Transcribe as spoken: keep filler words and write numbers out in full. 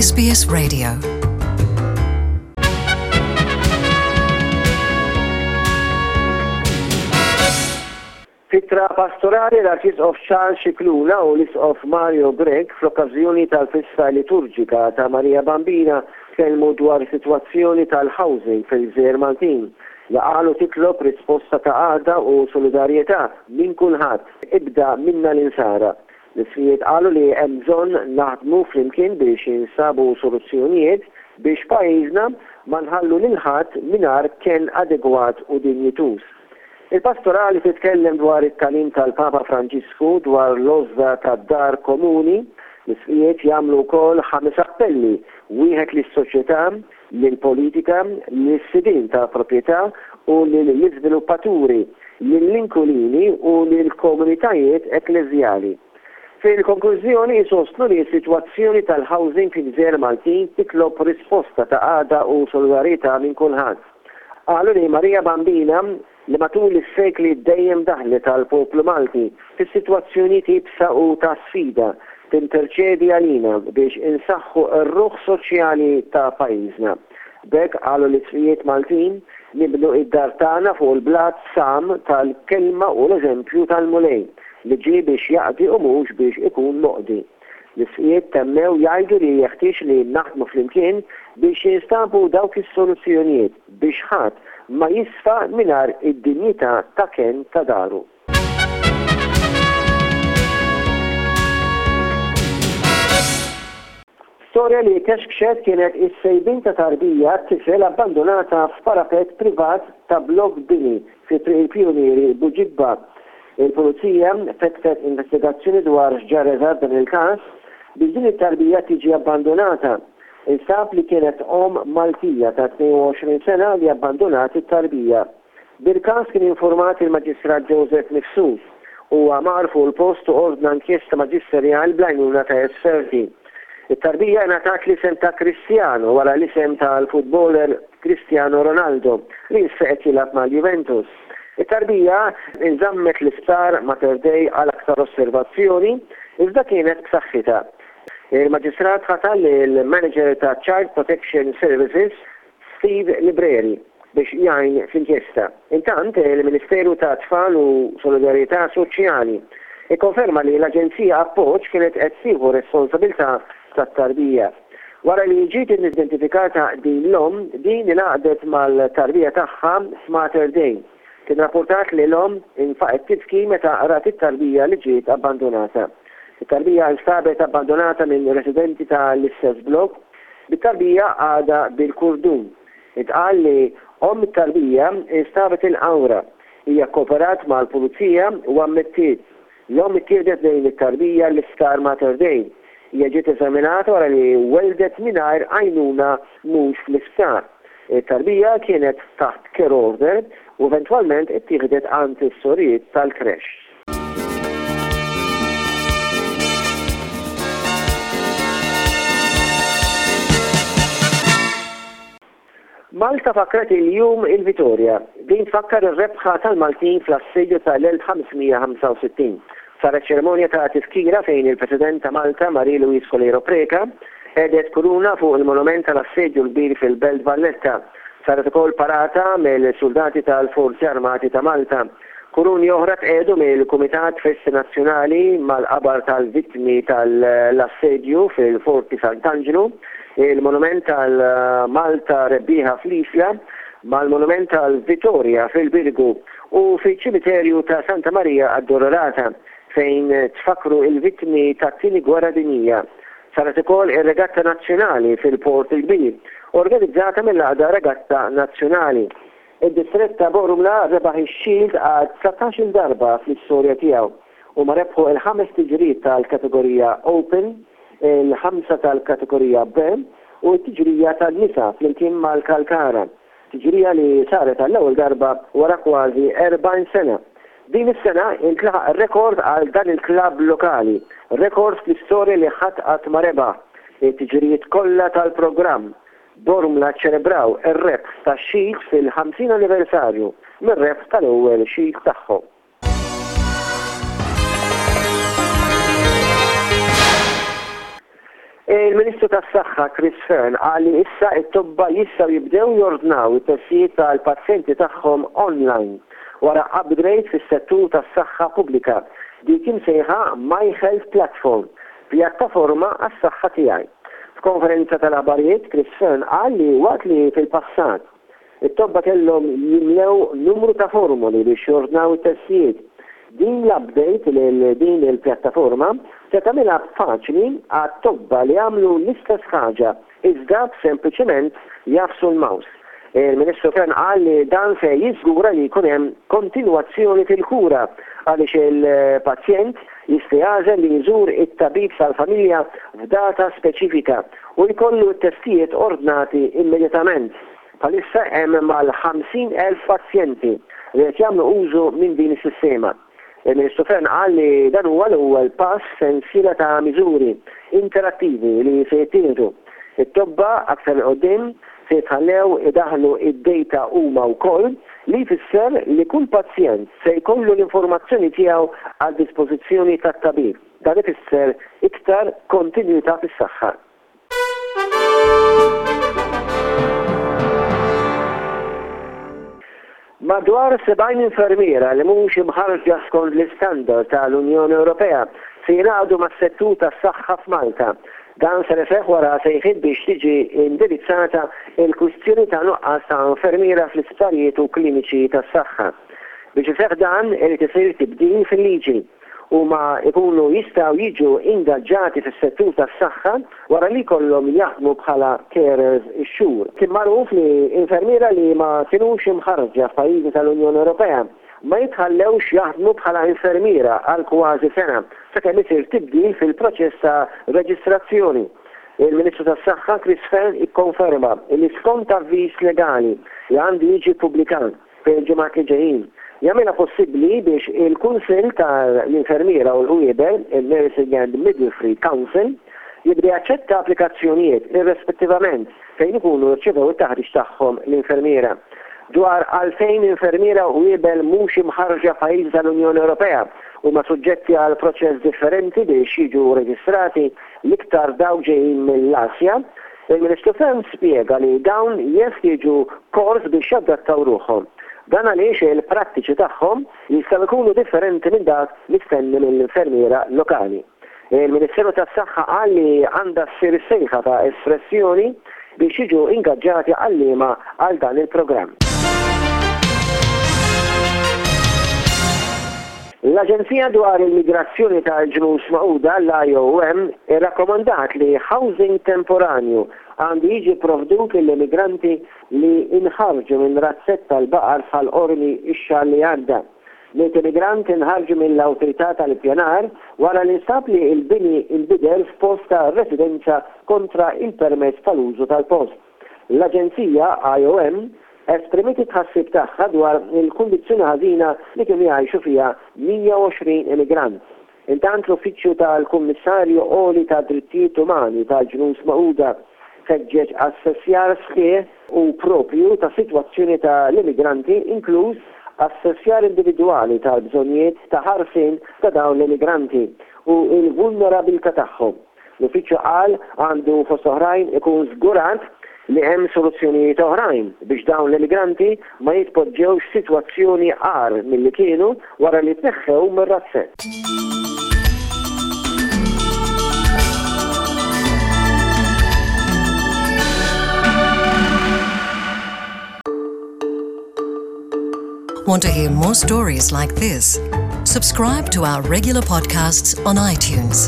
S B S Radio. F'ittra pastorali, l-Arċisqof Charles Scicluna u l-Isqof Mario Grech, fl-okkażjoni tal-festa liturġika ta' Marija Bambina, tkellmu dwar sitwazzjoni tal-housing fil-Gżejjer Maltin li qalu titlob risposta ta' għaqda u solidarjetà minn kulħadd, ibda minna l-insara. L-isqfijiet qalu li hemm bżonn naħdmu flimkien biex jinsabu soluzzjonijiet biex pajjiżna ma nħallu lil ħadd mingħajr ken adegwat u dinjituż. Il-pastorali titkellem dwar it-tagħlim tal-Papa Franġisku dwar l-għożża tad-dar komuni. L-isqfijiet jagħmlu wkoll ħames appelli, wieħed lis-soċjetà, lill-politika, lis-sidien ta' proprjetà u lill-iżviluppaturi, lill-inkwilini u lill-komunitajiet ekkleżjali. Fil-konklużjoni jsostnu li s-sitwazzjoni tal-housing fil-Gżejjer Maltin titlob risposta ta' għaqda u solidarjetà minn kulħadd. Qalu li Marija Bambina, li matul is-sekli dejjem daħlet għall-poplu Malti fis-sitwazzjonijiet iebsa u ta' sfida, tinterċedi għalina biex insaħħu r-ruħ soċjali ta' pajjiżna. B'hekk, qalu l-isqfijiet Maltin, nibnu id-dar tagħna fuq il-blat sam tal-kelma u l-eżempju tal-Mulej li ġie biex jaqdi u mhux biex ikun moqdi. L-isqfijiet temmew jgħidu li jeħtieġ li naħdmu flimkien biex jinstabu dawk is-soluzzjonijiet biex ħadd ma jisfa mingħajr id-dinjità ta' ken ta' daru. Storja li kexkxet kienet is-sejbin ta' tarbija tifel abbandonata f'parapet privat ta' blok bini fi Triq il-Pionieri, Buġibba. Il-Pulizija fetħet investigazzjoni dwar x'ġara eżatt dan il-każ biex din it-tarbija tiġi abbandonata. Instab li kienet om Maltija ta' tnejn u għoxrin sena li abbandonat it-tarbija. Bil-każ kien informat il-Maġistrat Joseph Mifsud u mar fuq il-post u ordna inkjesta maġisterjal bl-għajnuna ta' esperti. It-tarbija ngħatat l-isem ta' Cristiano wara l-isem tal-futboler Cristiano Ronaldo li issa qed jilgħab mal-Juventus. It-tarbija inżammet l-isptar Mater Dei għal aktar osservazzjoni, iżda kienet b'saħħitha. Il-Maġistrat ħatar il-Manager ta' Child Protection Services, Steve Libreri, biex jgħin fl-inkjesta. Intant, il-Ministeru ta' Tfal u Solidarjetà Soċjali ikkonferma li l-Aġenzija Appoġġ kienet qed tieħu responsabilità tat-tarbija. Wara li ġiet identifikata din l-om, din ingħaqdet mal-tarbija tagħha f'Mater Dei. Kien rapportat li l-om infaqet tibki meta rat it-tarbija li ġiet abbandonata. It-tarbija instabet abbandonata minn residenti tal-istess blok, bit-tarbija għadha bil-kurdun. Intqal li om it-tarbija instabet il-Qawra. Hija kooperat mal-pulizija u ammettiet. L-om ittieħdet lejn it-tarbija l-isptar Mater Dei. Hija ġiet eżaminata wara li weldet mingħajr għajnuna mhux fl-isptar. It-tarbija kienet taħt care order u eventwalment ittieħdet għand is-sorijiet tal-creche. Malta fakret il-jum il-Vitorja. Din tfakkar ir-rebħa tal-Maltin fl-assedju tal-elf ħames mija ħamsa u sittin. Saret ċerimonja ta' tifkira fejn il-President ta' Malta, Marie Louise Coleiro Preca, qiegħdet kuruna fuq il-monument tal-assedju l-kbir fil-Belt Valletta. Saret ukoll parata mill-soldati tal-Forzi Armati ta' Malta. Kuruni oħra tqiegħdu mill-Kumitat Festi Nazzjonali mal-qabar tal-vittmi tal-assedju fil-Forti Sant'Angelo, il-monument tal-Malta Rebbieħa fl-Isla, mal-monument tal-Vittoria fil-Birgu u fil-ċimiterju ta' Santa Maria Addolorata fejn tfakru il-vittmi tat-tieni gwerra dinjija. Saret ukoll ir-Regatta Nazzjonali fil-Port il-Kbir, organizzata mill-Għaqda Regatta Nazzjonali. Id-distrett ta' Bormla rebaħ ix-Shield għal dsatax-il darba fl-istorja tiegħu u ma rebħu il-ħames tiġrijiet tal-kategorija Open, il-ħamsa tal-kategorija B u t-tiġrija tan-nisa flimkien mal-Kalkara. Tiġrija li saret għall-ewwel darba wara kważi erbgħin sena. Din is-sena intlaħaq rekord għal dan il-klabb lokali, rekord fl-istorja li ħadd qatt ma rebaħ it-tiġrijiet kollha tal-programm. Bormla ċelebraw ir-rebħ tax-Shield fil-ħamsin anniversarju mir-rebħ tal-ewwel Shield tagħhom. Il-Ministru tas-Saħħa Chris Fearne qal li issa it-tobba jistgħu jibdew jordnaw it-testijiet tal-pazjenti tagħhom online wara upgrade fis-settur tas-saħħa pubblika, dik imsejħa My Health Platform, pjattaforma għas-saħħa tiegħi. F'konferenza tal-aħbarijiet, Chris Fearne qal li waqt li fil-passat it-tobba kellhom jimlew numru ta' formoli biex jordnaw it-testijiet, din l-update lil din il-pjattaforma se tagħmilha faċli għat-tobba li jagħmlu l-istess ħaġa iżda sempliċement jagħfsu l-mouse. Il-Ministru Fearne qal li dan se jiżgura li jkun hemm kontinwazzjoni fil-kura għaliex il-pazjent jista' jagħżel li jżur it-tabib tal-familja f'data speċifika u jkollu t-testijiet ordnati immedjatament. Bħalissa hemm mal-ħamsin elf pazjenti li qed jagħmlu użu minn din is-sistema. Il-Ministru Fearne qal li dan huwa l-ewwel pass f'sensiela ta' miżuri interattivi li se jittieħdu. It-tobba aktar 'il quddiem se jitħallew idaħlu id-data huma wkoll, li jfisser li kull pazjent se jkollu l-informazzjoni tiegħu għal dispożizzjoni tat-tabib. Dan ifisser iktar kontinwità fis-saħħa. Madwar sebgħin infermiera li mhux imħarrġa skont l-istandard tal-Unjoni Ewropea se jingħaqdu mas-settur tas-saħħa f'Malta. Dan ser iseħħ wara sejħiet biex tiġi indirizzata il-kwistjoni ta' nuqqas ta' infermiera fl-isptarijiet u kliniċi tas-saħħa. Biex iseħħ dan irid isir tibdil fil-liġi. Huma jkunu jistgħu jiġu ingaġġati fis-settur tas-saħħa wara li jkollhom jaħdmu bħala carers ix-xhur. Kien magħruf li infermiera li ma kinux imħarrġa f'pajjiżi tal-Unjoni Ewropea ma jitħallewx jaħdmu bħala infermiera għal kważi sena sakemm isir tibdil fil-proċess ta' reġistrazzjoni. Il-Ministru tas-Saħħa Chris Fearne ikkonferma li skont avviż legali li għandu jiġi ppubblikat fil-ġimgħat li ġejjin, jagħmilha possibbli biex il-Kunsill tal-Infermiera u l-Qwiebel, il-Nursing and Midwifery Council, jibda jaċċetta applikazzjonijiet irrispettivament fejn ikunu rċevew it-taħriġ tagħhom l-infermiera. Dwar għalfejn infermiera u qwiebel mhux imħarrġa f'pajjiżi tal-Unjoni Ewropea huma suġġetti għal proċess differenti biex jiġu reġistrati, l-iktar dawk ġejjin mill-Asja, il-Ministru Fearne spjega li dawn jeħtieġu kors biex jadattaw ruħhom. Dan għaliex il-prattiċi tagħhom jistgħu jkunu differenti minn dak mistenni mill-infermiera lokali. Il-Ministeru tas-Saħħa qal li għandha ssir sejħa ta' espressjoni biex jiġu ingaġġati għalliema għal dan il-programm. L-Aġenzija dwar il-Migrazzjoni tal-Ġnus Magħquda, l-I O M, irrakkomandat li housing temporanju għandu jiġi provdut lill-immigranti li inħarġu minn razzett tal-baqar bħal Qormi ix-xahar li għadda. Miet immigrant inħarġu mill-awtorità tal-ippjanar wara li nstab li l-bini inbidel f'post ta' residenza kontra il-permess tal-użu tal-post. L-Aġenzija I O M esprimiet it-tħassib tagħha dwar il-kundizzjoni ħażina li kienu jgħixu fiha mija u għoxrin immigrant. Intant l-Uffiċċju tal-Kummissarju Għoli tad-Drittijiet Umani tal-Ġnus Magħquda ħeġġeġ assessjar sħiħ u propju ta' sitwazzjoni tal-immigranti, inkluż assessjar individwali tal-bżonnijiet ta' ħarsien ta' dawn l-immigranti u l-vulnerabilità tagħhom. L-Uffiċċju qal għandu fost oħrajn ikun żgurat li hemm soluzzjonijiet oħrajn biex dawn l-immigranti ma jitpoġġewx sitwazzjoni agħar milli kienu wara li tneħħew mir-razzett. Want to hear more stories like this? Subscribe to our regular podcasts on iTunes.